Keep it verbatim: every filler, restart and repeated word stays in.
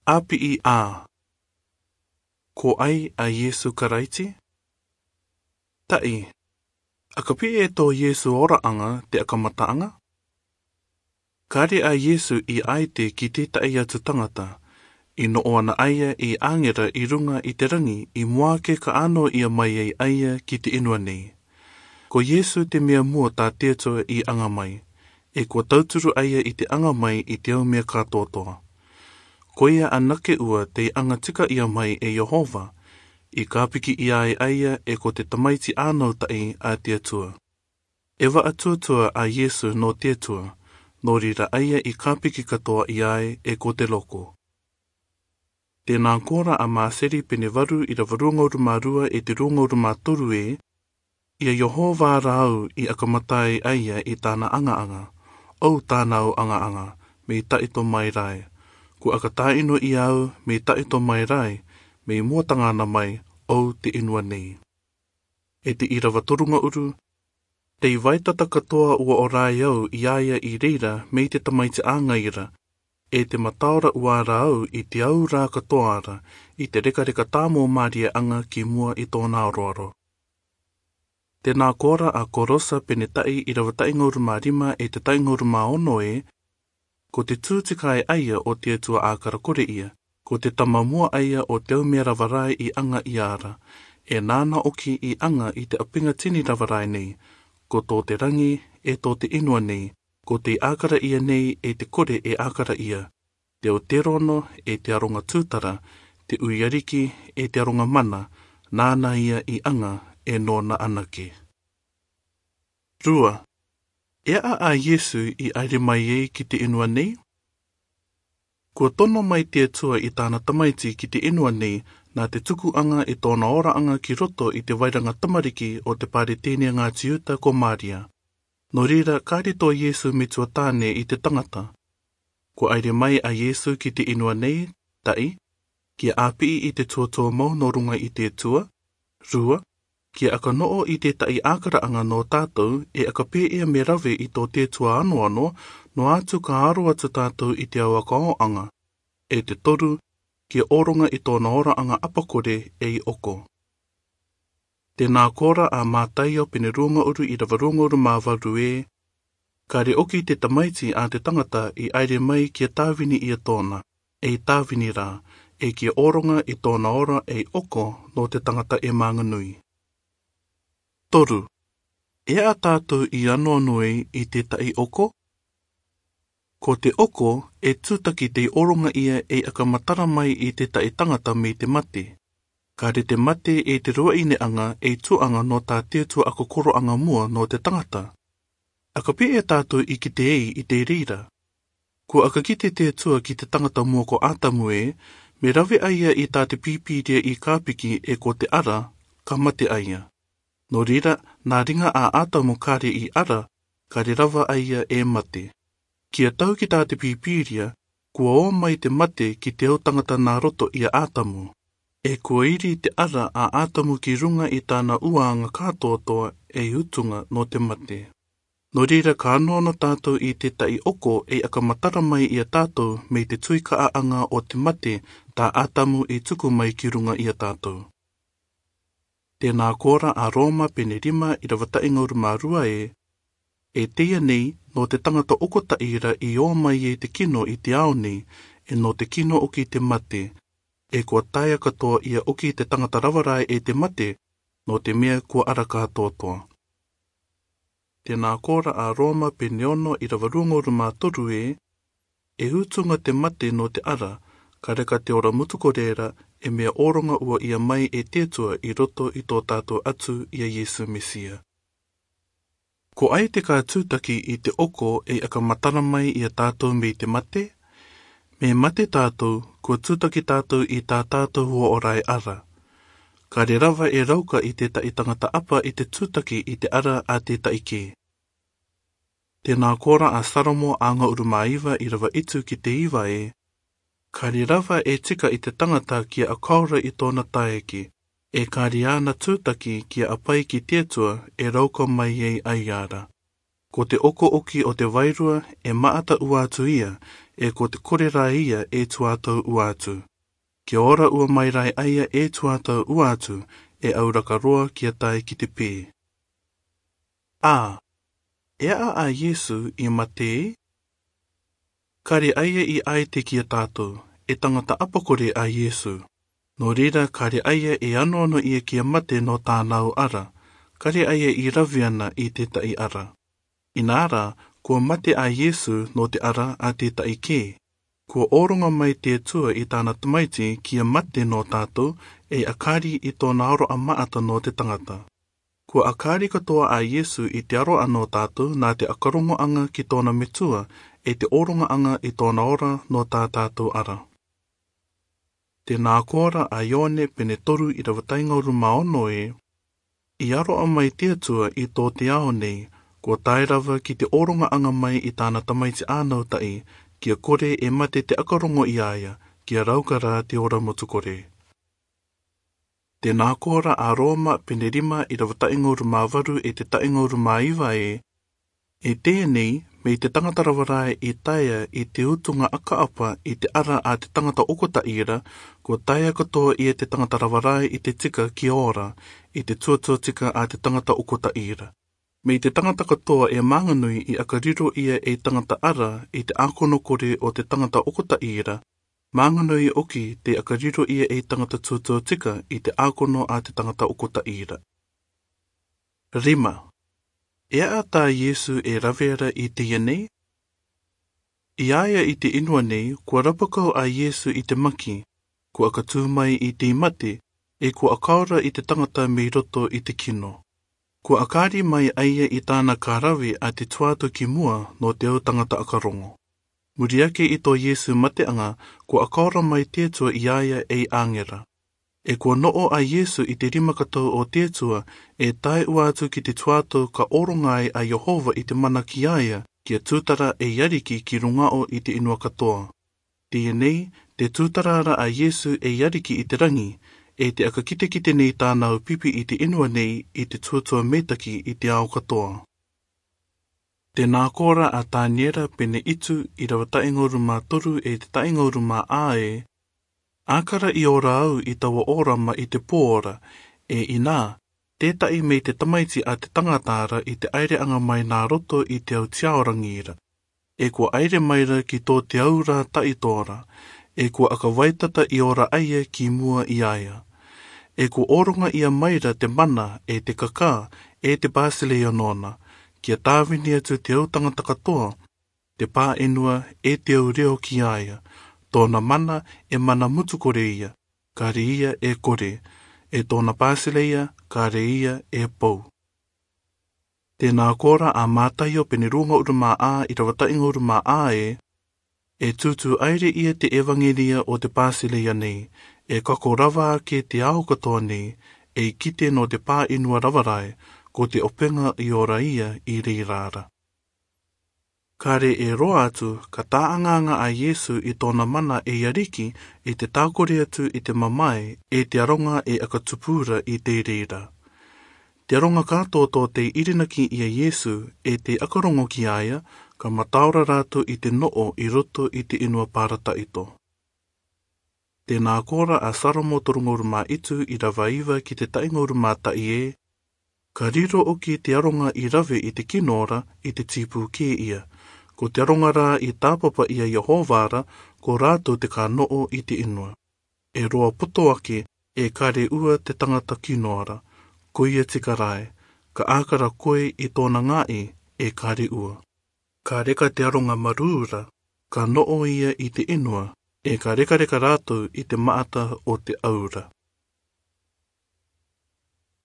ʻĀpiʻi ā. Ko ai a Iesu Karaiti? Taʻi, ʻaka pē ē tō Iesu oraʻanga te ʻakamataʻanga? Kare a Iesu i ʻaite ki tētaʻi atu tangata, i noʻo ana ʻaia ʻi ʻāngera ʻi ruŋa i te raŋi ʻi muake ka ʻānoa ia mai ai ʻaia ki te ʻenua nei. Ko Iesu te mea mua tā te Atua i aŋa mai, ʻe kua tauturu ʻaia i te aŋa mai i te au mea kātoatoa. Koia anake ua tei aŋa tika ia mai e Iehova, i kāpiki ia ai ʻaia ʻe ko te tamaiti ānautaʻi a te Atua. ʻE vaʻa tuatua a Iesu nō te Atua, nō reira ʻaia i kāpiki katoa ia ai ʻe ko te roko. Tēnā kōrā a Māseri pene varu ʻi rava rua ngauru mā rua ʻe te rua ngauru mā toru ē, ia Iehova rā au i ʻakamata ai ʻaia i tāna aŋa-aŋa, ʻou tāna au aŋa-aŋa, mei taʻito mai rā ē. Kua ʻaka tāʻino ia au mei taʻito mai rā ē, mei mua taŋana mai, ʻou te ʻenua nei. ʻE te ʻi rava toru ngauru, tei vaitata katoa ua ora ai au ia ia i reira mei te tamaiti ā ŋaira, ʻe te mataora ua ra au i te au rā katoa ra, i te reka-reka tāmō māriaʻaŋa ki mua i tōna aroaro. Tēnā kōrā a Korosa pene taʻi ʻi rava taʻi ngauru mā rima ʻe te taʻi ngauru mā ono ē, ko te tū tika ē ʻaia o te Atua ʻākara kore ia, ko te tama mua ʻaia o te au mea rava rae i aŋa ia ra, ʻe nāna ʻoki i aŋa i te ʻapiŋa tini rava rae nei, ko tō te raŋi, ʻe tō te ʻenua nei, ko tei ʻākara ia nei ʻe te kore ʻe ʻākara ia, te aoterono ʻe te aroŋa tūtara, te uiariki ʻe te aroŋa mana, nāna ia i aŋa ʻe nōna anake. Rua, ʻe aʻa a Iesu i ʻaere mai ai ki te ʻenua nei? Kua tono mai te Atua i tāna tamaiti ki te ʻenua nei, nā te tukuʻaŋa i tōna oraʻaŋa ki roto i te vairaŋa tamariki o te Paretēnia ŋā Tiuta ko Māria. Nō reira, kāre tō Iesu me tuatāne i te tangata. Kua ʻaere mai a Iesu ki te ʻenua nei, taʻi, kia ʻāpiʻi i te tuatua mau nō ruŋa i te Atua, rua, kia ʻaka noʻo i tētaʻi ʻākaraʻaŋa nō tātou, ʻe ʻaka pē ia me rave i tō te Atua anoano, noa atu ka aro atu tātou i te au ʻakaoʻaŋa, ʻe te toru, kia ʻōroŋa i tōna oraʻaŋa ʻapakore ʻe i ʻoko. Tēnā kōrā a Mātaio pene rua ngauru ʻi rava rua ngauru mā varu ē, kāre ʻoki te tamaiti a te tangata i ʻaere mai kia tāvini ia tōna, ʻe i tāvini rā, ʻe kia ʻōroŋa i tōna ora ʻe i ʻoko nō te tangata ʻe mānganui. Toru, ʻe aʻa tātou i anoano ai i tētaʻi ʻoko? Ko te ʻoko, ʻe tūtaki tei ʻōroŋa ia ʻe i ʻaka matara mai i tētaʻi tangata mei te mate. Kāre te mate ʻe te ruaʻineʻaŋa ʻe i tuaʻaŋa nō tā te Atua ʻakakoroʻaŋa mua nō te tangata. ʻAka pē ē tātou i kite ai i te reira. Kua ʻaka kite te Atua ki te tangata mua ko Atamu ē, me rave ʻaia i tā te Pīpīria i kāpiki ʻe ko te ara, ka mate ʻaia. Nō reira, nā riŋa a Atamu kāre i ara, kāre rava ʻaia e mate. Kia tau ki tā te Pīpīria, kua ō mai te mate ki te au tangata nā roto ia Atamu. ʻE kua iri te ara a Atamu ki ruŋa i tāna uaʻanga kātoatoa ʻe i utuŋa nō te mate. Nō reira ka anoano tātou i tētaʻi ʻoko ʻe i ʻaka matara mai ia tātou mei te tuikaʻaʻaŋa o te mate tā Atamu i tuku mai ki ruŋa ia tātou. Tēnā kōrā a Roma pene rima ʻi rava taʻi ngauru mā rua ē, ʻe teie nei, nō te tangata ʻokotaʻi ra i ō mai ai te kino i te ao nei, ʻe nō te kino ʻoki te mate, ʻe kua taea katoa ia ʻoki te tangata rava rae e te mate, nō te mea kua ara kātoatoa. Tēnā kōrā a Roma pene ono ʻi rava rua ngauru mā toru ē, ʻe utuŋa te mate nō te ara, ka reka te ora mutukorera, ʻe mea ʻōroŋa ua ia mai e te Atua i roto i tō tātou Atua ia Iesu Mesia. Ko ai te ka tūtaki i te ʻoko ʻe i ʻaka matara mai ia tātou mei te mate? Me mate tātou, kua tūtaki tātou i tā tātou huaʻo rae ara. Kāre rava e rauka i tētaʻi tangata ʻapa i te tūtaki i te ara a tētaʻi kē. Tēnā kōrā a Salomo ʻa ngauru mā iva ʻi rava itu ki te iva ē, kāre rava e tika i te tangata kia ʻakaora i tōna taeaʻe, ʻe kāre āna tūtaki kia ʻapai ki te Atua ʻe rauka mai ai ʻaia ra. Ko te ʻoko ʻoki o te vairua ʻe maʻata ua atu ia, ē ko te kore rā ia e tuātou ua atu. Kia ora ua mai rā a ia e tuātou ua atu, e auraka roa kia tae ki te pē. A, e aʻa a Iesu i mate? Kare a ia i ʻaete ki a tātou, e tangata ʻapakore a Iesu. Nō reira, kare a ia e anoano ia kia mate nō tāna ara, kare a ia i rave ana i tētaʻi ara. Inā rā, kua mate a Iesu nō te ara a tētaʻi kē. Kua ʻōroga mai te Atua i tāna Tamaiti kia mate nō tātou, e ʻakari i tōna aroʻa maʻata nō te tangata. Kua ʻakari katoa a Iesu i te aroʻa nō tātou nā te ʻakarongoʻaga ki tōna metua, e te ʻōrogaʻaga i tōna ora nō tā tātou ara. Tēnā koa rā a Ioane pene toru irava taʻingauru mā ono ē, i aroʻa mai te Atua i tō te ao nei, kua tae rava ki te ʻōrogaʻaga mai i tāna Tamaiti ānautaʻi, kia kore e mate te ʻakarongo i a ia, kia rauka rā te ora motu kore. Tēnā koa rā a Roma pene rima irava taʻingauru mā varu e te taʻingauru mā iva ē, e tēnei, mei te tangata rava rā i taea i te utuga ʻakaʻapa i te ara a te tangata ʻokotaʻi ra, kua taea katoa ia te tangata rava rā i te tika kia ora, i te tuatua tika a te tangata ʻokotaʻi ra. Mei te tangata katoa e mānganui i ʻakariro ia ei tangata ara i te ʻākono kore o te tangata ʻokotaʻi ra, mānganui ʻoki te ʻakariro ia ei tangata tuatua tika i te ʻākono a te tangata ʻokotaʻi ra. Rima. E aʻa tā Iesu e rave ra i teie nei? I a ia i te inua nei, kua rapakau a Iesu i te maki, kua ʻakatū mai i te mate, e kua ʻakaora i te tangata mei roto i te kino. Kua ʻakari mai a ia i tāna ka rave a te tuatua ki mua nō te au tangata ʻakarongo. Muri ake i tō Iesu mateʻaga, kua ʻakaora mai te Atua i a ia ei ʻāngera. E kua noʻo a Iesu i te rima katoa o te Atua, e tae ua atu ki te tuatua ka ʻōroga ai a Iehova i te mana ki a ia, kia tūtara ei Ariki ki runga ʻo i te inua katoa. Teie nei, te tūtara ra a Iesu ei Ariki i te rangi, e te ʻakakitekite nei tāna au pipi i te inua nei i te tuatua meitaki i te ao katoa. Tēnā koa rā a Taniera pene itu irava taʻingauru mā toru e te taʻingauru mā ā ē, ʻākara i ora au i taua ʻōrama i te pō ra, e inā, tētaʻi mei te tamaiti a te tangata ra i te ʻaireʻaga mai nā roto i te au te ao rangi ra. E kua ʻaire mai ra ki tō te au rā taʻitoa ra, e kua ʻakavaitata i ora a ia ki mua i a ia. E kua ʻōroga ia mai ra te mana, e te kakā, e te Bāsileia nōna, kia tāvini atu te au tangata katoa, te pāʻenua, e te au reo ki a ia. Tōna mana, e mana mutu kore ia, kare ia e kore, e tōna Bāsileia, kare ia e pou. Tēnā koa rā a Mātaio pene rua ngauru mā ā irava taʻingauru mā ā ē, e tūtū ʻaire ia te ʻevangeria o te Bāsileia nei, e kako rava ake te ao katoa nei, ei kite nō te pāʻenua rava rae, ko te ʻopega i ora ia i reira ra. Kare e roa atu, ka taʻaʻaga a Iesu i tōna mana ei Ariki, i te tākore atu i te mamae, e te aroga e ʻakatupu ra i te reira. Te aroga kātoa tō tei irinaki i a Iesu, e tei ʻakarongo ki a ia, ka mataora rātou i te noʻo i roto i te inua parataito. Tēnā koa rā a Salomo toru ngauru mā itu irava iva ki te taʻingauru mā taʻi ē, ka riro ʻoki te aroga i rave i te kino ra i te tīpū kē ia. Ko te aroga rā i tāpapa i a Iehova ra, ko rātou te ka noʻo i te inua. E roa poto ake, e kare ua te tangata kino ra, ko ia tika rae, ka ʻākara koe i tōna ngaʻi, e kare ua. Ka reka te aroga marū ra, ka noʻo ia i te inua, e ka rekareka rātou i te maʻata o te au ra.